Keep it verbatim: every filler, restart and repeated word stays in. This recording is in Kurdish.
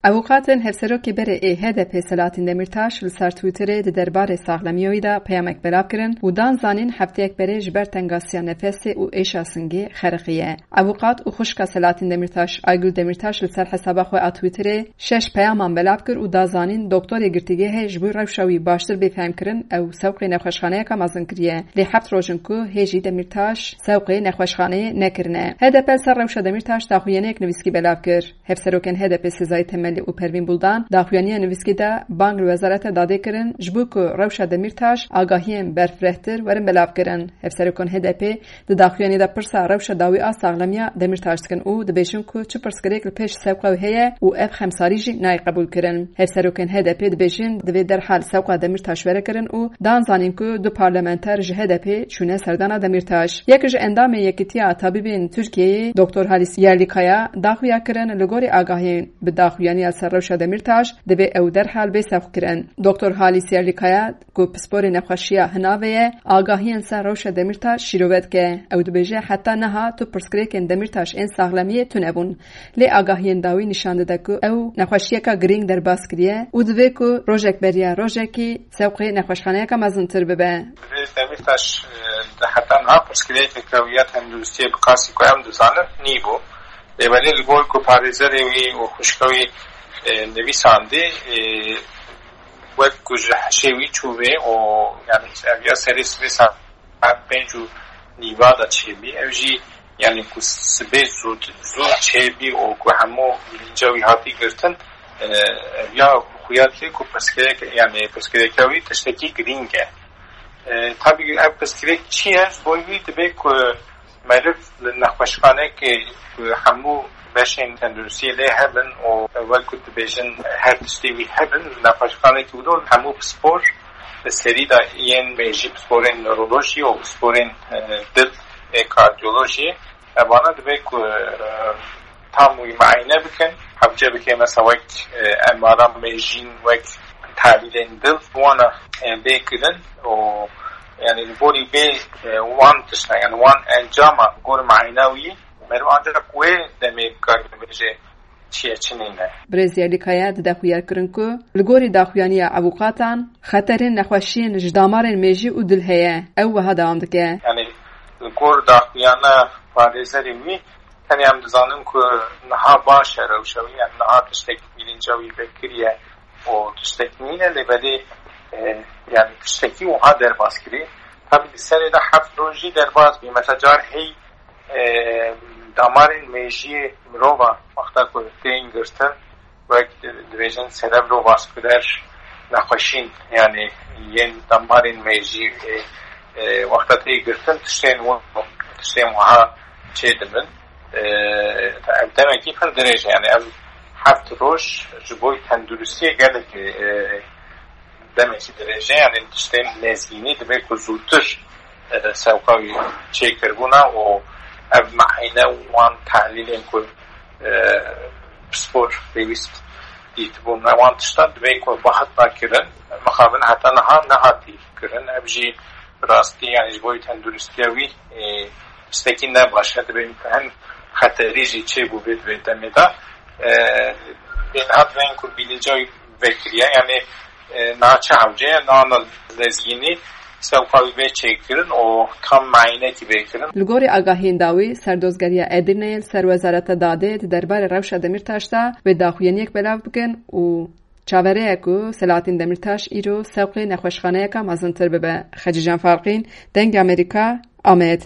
Avûkatên hevserokê berê ê H D P Selahattin Demirtaş li ser Twitterê di derbarê saxlemiyê wî de peyamek belav kirin û dan zanîn hefteyek berê ji ber tengasiya nefesê û êşa singê xeriqiye. Avûkat û xwişka Selahattin Demirtaş, Aygül Demirtaş, li ser hesaba xwe a Twitterê şeş peyaman belav kir û da zanîn doktorê girtîgehê ji bo rewşa wî baştir bê fehmkirin ew sewqê nexweşxaneyeke mezin kiriye. Lê heft roj in ku hê jî Demirtaş sewqê nexweşxaneyê nekirine. H D P li ser rewşa Demirtaş daxuyaniyek nivîskî belav kir. Hevserokên H D P Sezai Temelî û Pervîn Buldan daxuyaniya nivîskî de bang li Wezareta Dadê kirin, ji bo ku rewşa Demirtaş agahiyên berfirehtir werin belavkirin. Hevserokên H D P di daxuyaniyê de pirsa rewşa dawî a saxlemiya Demirtaş dikin û dibêjin ku çi pirsgirêk li pêş sewqa wî heye û ev xemsarî jî nayê qebûlkirin. Hevserokên H D P dibêjin divê derhal sewqa Demirtaş were kirin û dan zanîn ku du parlamenter ji H D P çûne serdana Demirtaş. Yek ji endamê Yekîtiya Tabîbên Tirkiyeyê, Doktor Halis Yerlikaya, daxuya kirin, li gorî agahiyên bi daxuyaniya ser rewşa Demirtaş, divê ew derhal bê sewqkirin. Doktor Halis Yerlikaya, ku pisporê nexweşiya hinavê ye, agahiyên ser rewşa Demirtaş şîrove dike. Ew dibêje, heta niha tu pirsgirêkên Demirtaş ên saxlemiyê tune bûn. Lê agahiyên dawî nîşan dide ku ew nexweşiyeka girîng derbas kiriye û divê ku rojek beriya rojekî sewqê nexweşxaneyeke mezintir bibe. Divê Demirtaş, e, di heta niha pirsgirêkeke wî ya tenduristiyê bi qasî ku em dizanin nîbû. Lê belê li gor ku parêzerê wî û xwişka wî, e, nivîsandî, e, wek ku ji hişê wî çû vê û, yani, ev ya serê sibê saet pênc û nîva de çêbî. Ev jî, yani, ku sibê zû, zû çêbî û ku hemû bilinca wî hatî girtin, e, ev ya xuya dike ku pirsgirêk, yani, pirsgirêka wî tiştekî girîng e. E, tabî ev pirsgirêk çi ye? Ji bo wî dibe ku meriv li nexweşxanekê ku hemû beşên tenduristiyê lê hebin û wek ku dibêjin her tiştê wî hebin, li nexweşxanekî wilo hemû pispor li serî de yên mêjî, pisporên newrolojî û pisporên, e, dil ê kardiyolojiyê, evana dibe ku, e, tam wî muayene bikin. Hewce bike mesela wek, e, M R A mêjîn, wek tahlîlên dil, wana, e, bê kirin û, yani, li gorî vê, e, wan tişta, yani wan encama, li gor muayena wî, meriv ancak wê demê bikare bibêje çi ye, çi nîne. Birêz Yerlikaya dide xuyarkirin ku li gorî daxuyaniya avûkatan, xeterên nexweşiyên ji damarên mêjî û dil heye. Ew wiha dewam dike. Yani, li gor daxuyana parêzerên wî, tenê em dizanin ku niha baş e rewşa wî, yani niha tiştek bilinca wî vekiriye û tiştek nîne, lê belê, e, yani tiştekî wiha derbas kirî. Tabî di serê de heft roj jî derbas bî. Mesela car hey, e, damarên mêjiyê mirova wexta ku tên girtin, wek di-, dibêjin cerebrovaskuler nexweşîn, yani yên damarên mêjî, e, e, wexta tê girtin, tiştên wan, tiştên wiha çê dibin. E, ev demekî pir dirêj e, yani ev heft roj ji bo tenduristiyê gelekî, e, demekî dirêj e, yani tiştên lezgînî dibe ku zûtir, e, sewqa wî çêkirbûna û ev muayene û wan tahlîlên ku, e, pispor pêwîst dîtibûn, wan tiştan dibe ku bihatina kirin, mixabin heta niha nehatî kirin. Ev jî rastî, yani ji bo tenduristiya wî, e, tiştekî ne baş e, dibe hin xeterî jî çêbû vê, vê demê de. E, Lê niha divên ku bîlinca wî vekiriye, yani, e, niha çi hewce ye, niha lezgînî sewqa wî bê çêkirin û tam muayenekî bê kirin. Li gorî agahiyên dawî, Serdozgeriya Edirneyê li ser Wezareta Dadê di derbarê rewşa Demîrtaş de wê daxuyaniyek belav bikin û çaverê ye ku Selahattin Demîrtaş îro sewqê nexweşxaneyeka mezintir bibe. Xecîcan Farqîn, Dengê Amerîka, Amed.